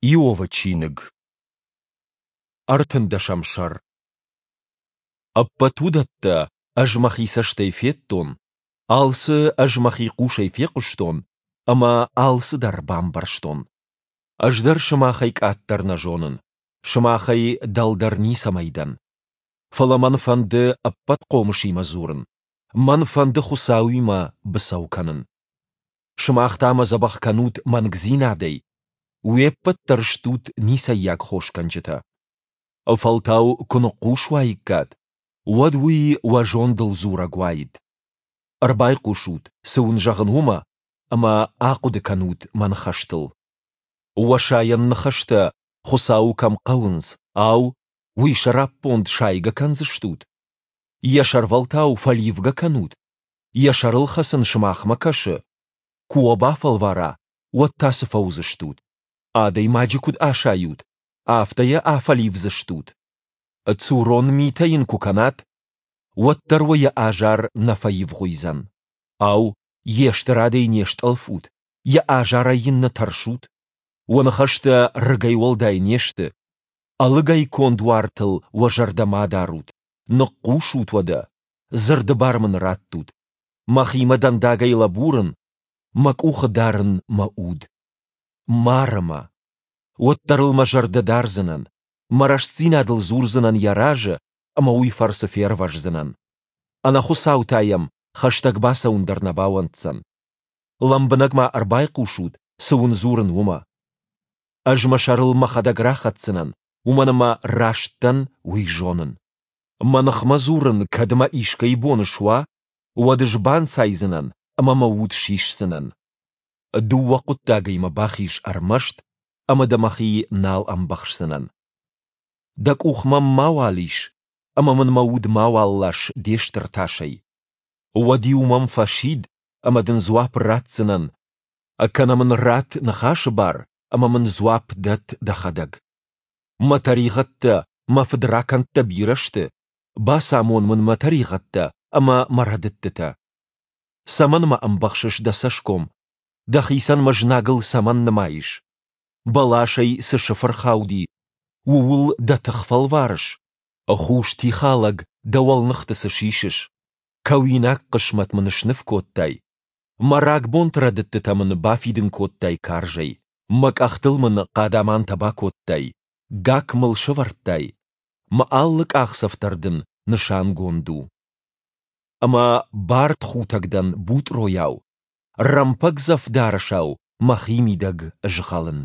Иовы чиныг. Ӕртындӕсӕм сӕр. Ӕппӕт уыдӕттӕ ӕз мӕхи цӕстӕй федтон, алцы ӕз мӕхи хъусӕй фехъуыстон ӕмӕ алцыдӕр бамбӕрстон. Ӕз дӕр сымахӕй къаддӕр нӕ зонын, сымахӕй дӕлдӕр ницӕмӕй дӕн. Фӕлӕ мӕн фӕнды Ӕппӕтхъомысимӕ дзурын, мӕн фӕнды Хуыцауимӕ быцӕу кӕнын. Сымах та мӕ дзӕбӕх кӕнут мӕнгдзинадӕй, уе ппӕт дӕр стут ницӕййаг хосгӕнджытӕ. Фӕлтау куы ныхъхъус уаиккат, уӕд уый уӕ зондыл дзурӕг уаид. Ӕрбайхъусут, цы уын зӕгъын, уымӕ, ӕмӕ ахъуыды кӕнут мӕ ныхӕстыл. Уӕ сайӕн ныхӕстӕ Хуыцауы кӕм хъӕуынц, ау, уый сӕраппонд сайгӕ кӕндзыстут? Йӕ сӕрвӕлтау фӕливгӕ кӕнут? Йӕ сӕрыл хӕцын сымахмӕ кӕсы? Куы уӕ бафӕлвара, уӕд та цы фӕуыдзыстут? Адӕймаджы куыд асайут, афтӕ йӕ афӕливдзыстут? Цурон митӕ йын куы кӕнат, уӕддӕр уӕ йӕ азар нӕ фӕивгъуыйдзӕн. Ау, йе стырадӕй не стъӕлфут, йӕ азарӕй йын нӕ тӕрсут? Уӕ ныхӕстӕ рыгӕй уӕлдай не сты. Ӕлыгӕй конд уартыл уӕ зӕрдӕ ма дарут. Ныхъхъус ут уӕдӕ, дзырды бар мын раттут. Мӕхимӕ дӕндагӕй лӕбурын, мӕ къухы дарын мӕ уд. Мары мӕ. Уӕддӕр ыл мӕ зӕрдӕ дардзынӕн, мӕ рӕстдзинадыл дзурдзынӕн йӕ разы ӕмӕ уый фӕрцы фервӕздзынӕн. Ӕнӕхуыцау та йӕм хӕстӕг бацӕуын дӕр нӕ бауӕнддзӕн. Лӕмбынӕг ма ӕрбайхъусут, цы уын дзурын, уымӕ. Ӕз мӕ сӕрыл мӕхӕдӕг рахӕцдзынӕн, уымӕн ӕмӕ раст дӕн, уый зонын. Мӕ ныхмӕ дзурын кӕд мӕ искӕй бон суа, уӕд ӕз банцайдзынӕн ӕмӕ мӕ уд сисдзынӕн. Дыууӕ хъуыддагӕй мӕ бахиз ӕрмӕст, ӕмӕ дӕ мӕхи нал ӕмбӕхсдзынӕн. Дӕ къух мӕм мауал ис, ӕмӕ мын мӕ уд мауал лас де стыр тасӕй. Уӕд-иу мӕм фӕсид, ӕмӕ дын дзуапп ратдзынӕн, кӕнӕ мын ратт ныхасы бар ӕмӕ мын дзуапп дӕтт дӕхӕдӕг. Мӕ тӕригъӕдтӕ, мӕ фыдракӕндтӕ бирӕ сты, бацамон мын мӕ тӕригъӕдтӕ ӕмӕ мӕ рӕдыдтытӕ. Цӕмӕн мӕ ӕмбӕхсыс дӕ цӕсгом? Дӕхицӕн мӕ знагыл цӕмӕн нымайыс? Бӕласӕй цы сыф ӕрхауди, ууыл дӕ тых фӕлварыс? Хус тихалӕг дӕ уӕлныхты цы сисыс? Кӕуинаг хъысмӕт мын сныв кодтай. Мӕ рагбонты рӕдыдтытӕ мын бафидын кодтай карзӕй. Мӕ къӕхтыл мын хъадамантӕ бакодтай, гакк мыл сӕвӕрдтай. Мӕ алы къахдзӕф дӕр дын нысангонд у. Ӕмӕ бардхутӕг дӕн бутъройау, рӕмпӕгдзӕф дарӕсау мӕхимидӕг згъӕлын.